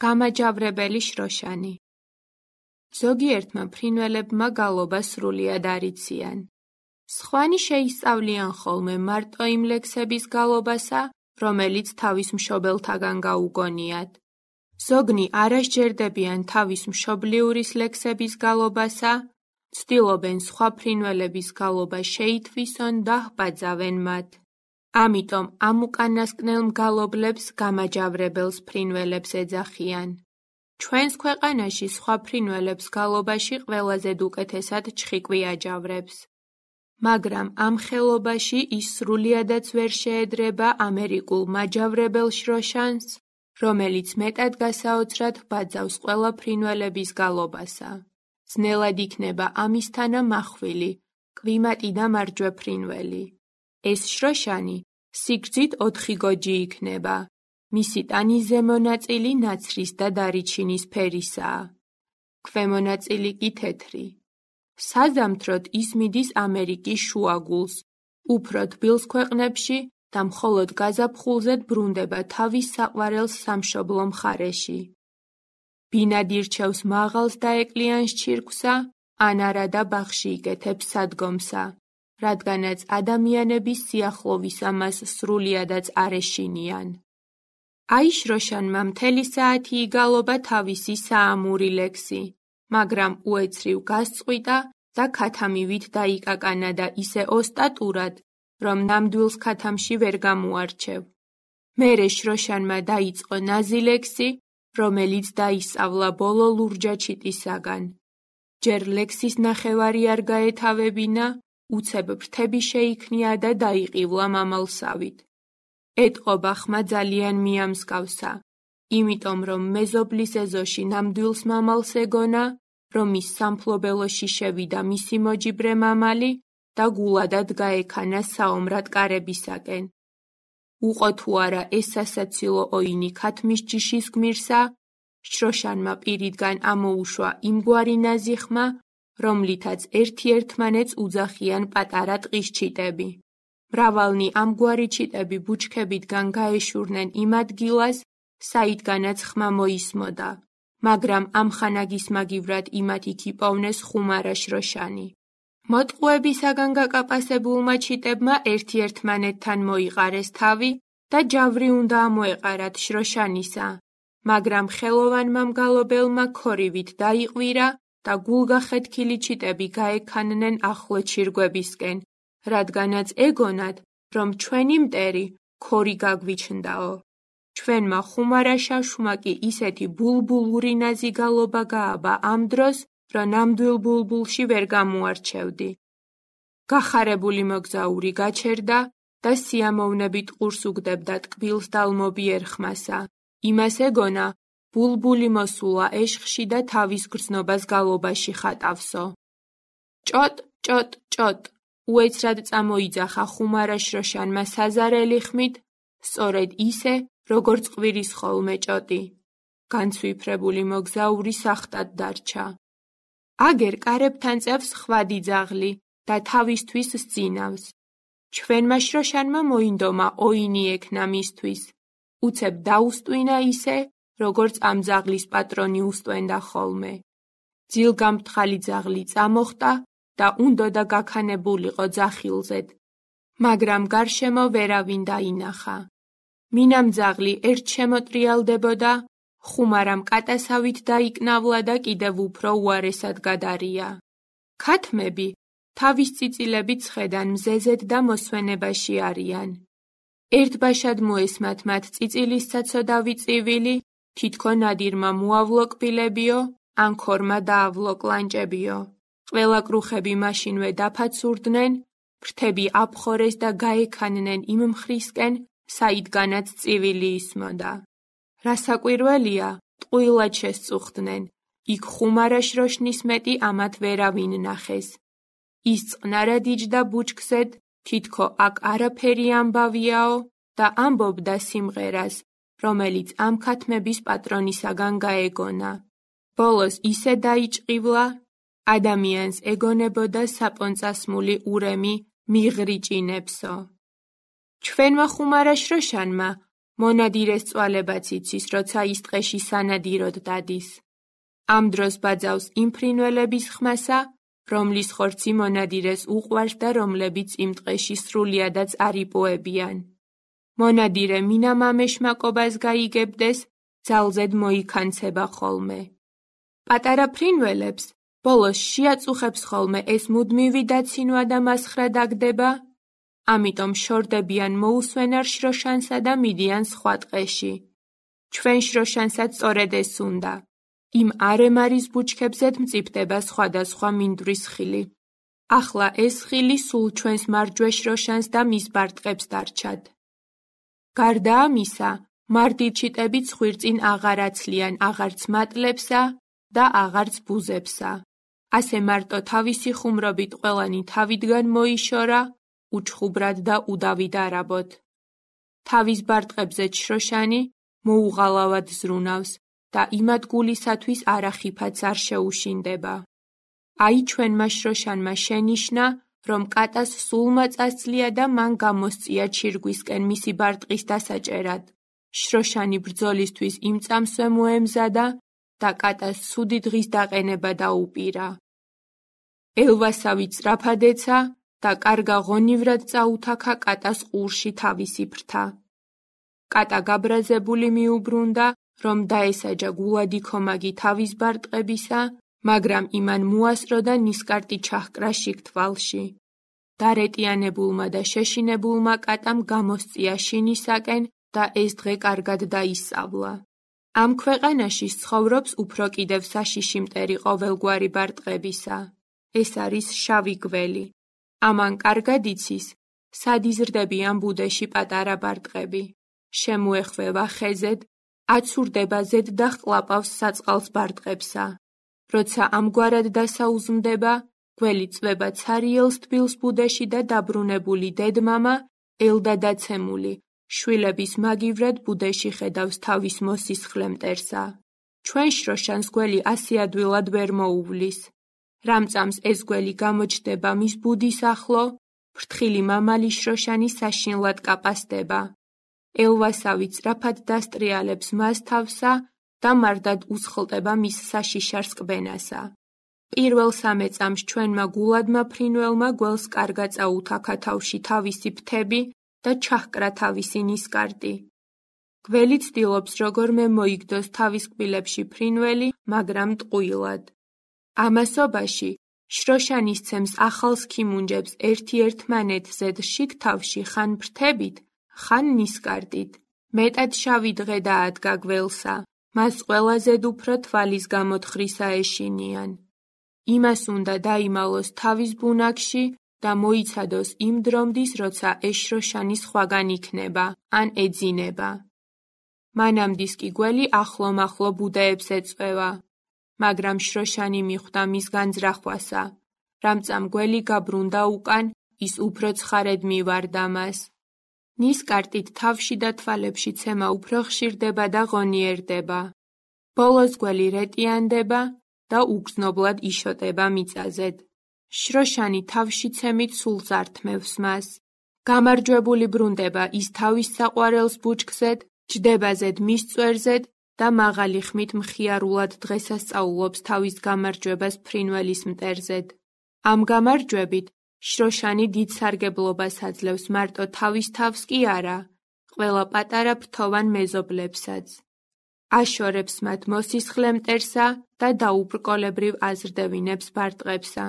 გამაჯავრებელი შროშანი. ზოგიერთმა ფრინველებმა გალობა სრულიად არ იციან. სხვანი შეისწავლიან ხოლმე მარტო იმ ლექსების გალობასა, რომელიც თავის მშობელთაგან გაუგონიათ. ზოგნი არ ასჯერდებიან თავის მშობლიურის ლექსების გალობასა, ცდილობენ სხვა ფრინველების გალობა შეითვისონ და ჰბაძავენ მათ. ამიტომ ამ უკანასკნელ მგალობლებს გამაჯავრებელს ფრინველებს ეძახიან. ჩვენს ქვეყანაში სხვა ფრინველებს გალობაში ყველაზე უკეთესად ჩხიკვი აჯავრებს. მაგრამ ამ ხელობაში ის სრულიადაც ვერ შეედრება ამერიკულ მაჯავრებელ შროშანს, რომელიც მეტად გასაოცრად ჰბაძავს ყველა ფრინველების გალობასა. ძნელად იქნება ამისთანა მახვილი, კვიმატი და მარჯვე ფრინველი. ეს შროშანი სიგრძით 4 გოჯი იქნება. მისი ტანის ზემო ნაწილი ნაცრის და დარიჩინის ფერისაა. ქვემო ნაწილი კი თეთრი. საზამთროდ ის მიდის ამერიკის შუაგულს, უფრო თბილ ქვეყნებში და მხოლოდ გაზაფხულზე ბრუნდება თავის საყვარელ სამშობლო მხარეში. ბინად ირჩევს მაღალს და ეკლიანს ჩირკვსა, ან არადა ბაღში იკეთებს სადგომსა, რადგანაც ადამიანების სიახლოვისა მას სრულიადაც არ ეშინიან. აი შროშანმა მთელი საათი იგალობა თავისი საამური ლექსი, მაგრამ უეცრივ გასწყვიტა და ქათამივით დაიკაკანა და ისე ოსტატურად, რომ ნამდვილს ქათამში ვერ გამოარჩევ. მერე შროშანმა დაიწყო ნაზი ლექსი, რომელიც დაისწავლა ბოლო ლურჯა ჩიტისაგან. ჯერ ლექსის ნახევარი არ გაეთავებინა, უცებ ფრთები შეიქმნია და დაიყივლა მამალსავით. ეტყობა ხმა ძალიან მიამსკავსა, იმიტომ რომ მეზობლის ეზოში ნამდვილს მამალს ეგონა, რომ ის სამფლობელოში შევიდა მისი მოჯიბრე მამალი და გულადად გაექანა საომრად კარებისაკენ. უყო თუ არა ეს სასაცილო ოინი ქათმის ჯიშის გმირსა, შროშანმა პირიდგან ამოუშვა იმგვარი ნაზი ხმა, რომლითაც ერთ-ერთმანეთს უძახიან პატარა ტყის ჩიტები. მრავალნი ამგვარი ჩიტები ბუჩქებიდან გაეშურნენ იმ ადგილას, საიდანაც ხმა მოისმოდა, მაგრამ ამხანაგის მაგივრად იმათ იქ იპოვნეს ხუმარა შროშანი. მოტყუებისაგან გაკაპასებულმა ჩიტებმა ერთ-ერთმანეთთან მოიყარეს თავი და ჯავრი უნდა ამოეყარათ შროშანისა, მაგრამ ხელოვანმა მგალობელმა ქორივით დაიყვირა და გულგახეთქილი ჩიტები გაექანნენ ახლო ჩირგვებისკენ, რადგანაც ეგონათ, რომ ჩვენი მტერი ქორი გაგვიჩნდაო. ჩვენმა ხუმარა შაშვმა კი ისეთი ბულბულური ნაზი გალობა გააბა ამ დროს, რომ ნამდვილ ბულბულში ვერ გამოარჩევდი. გახარებული მოგზაური გაჩერდა და სიამოვნებით ყურს უგდებდა ტკბილს დალმობიერ ხმასა. იმას ეგონა, ბულბული მოსულა ეშხში და თავის გრძნობას გალობაში ხატავსო. ჭოტ, ჭოტ, ჭოტ, უეცრად წამოიძახა ხუმარა შროშანმა საზარელი ხმით, სწორედ ისე, როგორც ყვირის ხოლმე ჭოტი. განცვიფრებული მოგზაური სახტად დარჩა. აგერ კარებთან წევს ხვადი ძაღლი და თავისთვის სძინავს. ჩვენმა შროშანმა მოინდომა ოინი ექნა მისთვის. უცებ დაუსტვინა ისე, როგორც ამ ძაღლის პატრონი უსტვენდა ხოლმე. ძილგამფრთალი ძაღლი წამოხტა და უნდოდა გაქანებულიყო ძახილზედ, მაგრამ გარშემო ვერავინ დაინახა. მინამ ძაღლი ერთ შემოტრიალდებოდა, ხუმარამ კატასავით დაიკნავლა და კიდევ უფრო უარესად გადარია. ქათმები თავის წიწილებით ხედან მზეზედ და მოსვენებაში არიან. ერთბაშად მოესმათ მათ წიწილის საცოდავი წივილი, თითქონ ადირმა მოავლო კბილებიო, ან ქორმა დაავლო კლანჭებიო. ყველა კრუხები მაშინვე დაფაცურდნენ, ფრთები აფხორეს და გაექანნენ იმ მხრისკენ, საიდანაც წივილი ისმოდა. რასაკვირველია, ტყუილად შესწუხდნენ, იქ ხუმარა შროშნის მეტი ამათ ვერავინ ნახეს. ის წყნარად იჯდა ბუჩქზედ, თითქო აქ არაფერი ამბავიაო და ამბობდა სიმღერას, რომელიც ამ ქათმების პატრონისაგან გაეგონა. ბოლოს ისე დაიჭყივლა, ადამიანს ეგონებოდა საპონწასმული ურემი მიღრიჭინებსო. ჩვენმა ხუმარა შროშანმა მონადირეს წვალებაც იცის, როცა ის ტყეში სანადიროდ დადის. ამ დროს ბაძავს იმ ფრინველების ხმასა, რომლის ხორცი მონადირეს უყვარს და რომლებიც იმ ტყეში სრულიადაც არ იპოებიან. მონადირე მინამამეშმაკობას გაიგებდეს, ძალზედ მოიქანცება ხოლმე. პატარა ფრინველებს ბოლოს შეაწუხებს ხოლმე ეს მუდმივი დაცინვა და მასხრა დაგდება, ამიტომ შორდებიან მოусვენარ შროშანსა და მიდიან სხვა ტყეში. ჩვენ შროშანსაც სწორედ ეს უნდა. იმ არემარის ბუჩქებზედ მწიფდება სხვადასხვა მინდვრის ხილი. ახლა ეს ხილი სულ ჩვენს მარჯვე შროშანს და მის ბარტყებს დარჩათ. გარდა ამისა, მარდიჩიტები ცხვირწინ აღარ აცლიან აღარც მატლებსა და აღარც ბუზებსა. ასე მარტო თავისი ხუმრობით ყველანი თავიდან მოიშორა, უჩხუბრად და უდავით არაბოთ. თავის ბარტყებზე შროშანი მოუღალავად ზრუნავს და იმად გულისათვის არახიფაც არ შეუშინდება. აი ჩვენმა შროშანმა შენიშნა, რომ კატას სულ მაწასწლია და მან გამოსწია ჩირგვისკენ მისი ბარტყის დასაჭერად. შროშანი ბრძოლისთვის იმ წამსვე მოემზადა და კატას ცუდი დღის დაყენება დაუპირა. ელვასავი სწრაფად ეცა და კარგა ღონივრად წაუთაქა კატას ყურში თავისი ფრთა. კატა გაბრაზებული მიუბრუნდა, რომ დაესაჯა გულადი ქომაგი თავის ბარტყებისა, მაგრამ იმან მოასწრო და ნისკარტი ჩაჰკრა შიგ თვალში. დარეტიანებულმა და შეშინებულმა კატამ გამოსწია შინისაკენ და ეს დღე კარგად დაისწავლა. ამ ქვეყანაში ცხოვრობს უფრო კიდევ საშიში მტერი ყოველგვარი ბარტყებისა. ეს არის შავი გველი. ამან კარგად იცის, სად იზრდებიან ბუდეში პატარა ბარტყები. შემოეხვევა ხეზედ, აცურდება ზედ და ჰყლაპავს საწყალს ბარტყებსა. როცა ამგვარად დასაუზმდება, გველი წვება ცარიელს თბილს ბუდეში და დაბრუნებული დედმამა, ელდადაცემული, შვილების მაგივრად ბუდეში ხედავს თავის მოსისხლე მტერსა. ჩვენ შროშანს გველი ასე ადვილად ვერ მოუვლის. რამწამს ეს გველი გამოჩნდება მის ბუდის ახლო, ფრთხილი მამალი შროშანი საშინლად კაპასდება. ელვასავი სწრაფად დასტრიალებს მას თავსა და მარტად უსხლტება მის საშიშარ სკბენასა. პირველ 3 წამს ჩვენმა გულადმა ფრინველმა გველს კარგა წაუთაქა თავში თავისი ფრთები და ჩაჰკრა თავისი ნისკარტი. გველი ცდილობს როგორმე მოიგდოს თავის კბილებში ფრინველი, მაგრამ ტყუილად. ამასობაში შროშანი სცემს ახალს ქიმუნჯებს ერთი-ერთმანეთზედ შიგ თავში ხან ფრთებით, ხან ნისკარტით. მეტად შავი დღე დაადგა გველსა, მას ყველაზე უფრო თვალის გამოთხრისა ეშინიან. იმას უნდა დაიმალოს თავის ბუნაგში და მოიცადოს იმ დრომდის, როცა ეს შროშანი სხვაგან იქნება, ან ეძინება. მანამდის კი გველი ახლო-მახლო ბუდეებს ეწვევა, მაგრამ შროშანი მიხვდა მის განძრახვასა. რამწამ გველი გაბრუნდა უკან, ის უფრო ცხარედ მივარდა მას. ნისკარტით თავში და თვალებში ცემა უფრო ხშირდება და ღონიერდება. ბოლოს გველი რეტიანდება და უგრძნობლად იშოტება მიწაზედ. შროშანი თავში ცემით სულ ზართმევს მას. გამარჯვებული ბრუნდება ის თავის საყვარელს ბუჩქზედ, ჯდება ზედ მის წვერზედ და მაღალი ხმით მხიარულად დღესასწაულობს თავის გამარჯვებას ფრინველის მტერზედ. ამ გამარჯვებით შროშანი დიდ სარგებლობას აძლევს მარტო თავის თავს კი არა, ყველა პატარა ფრთოვან მეზობლებსაც. აშორებს მათ მოსისხლე მტერსა და დაუბრკოლებრივ აზრდევინებს ბარტყებსა.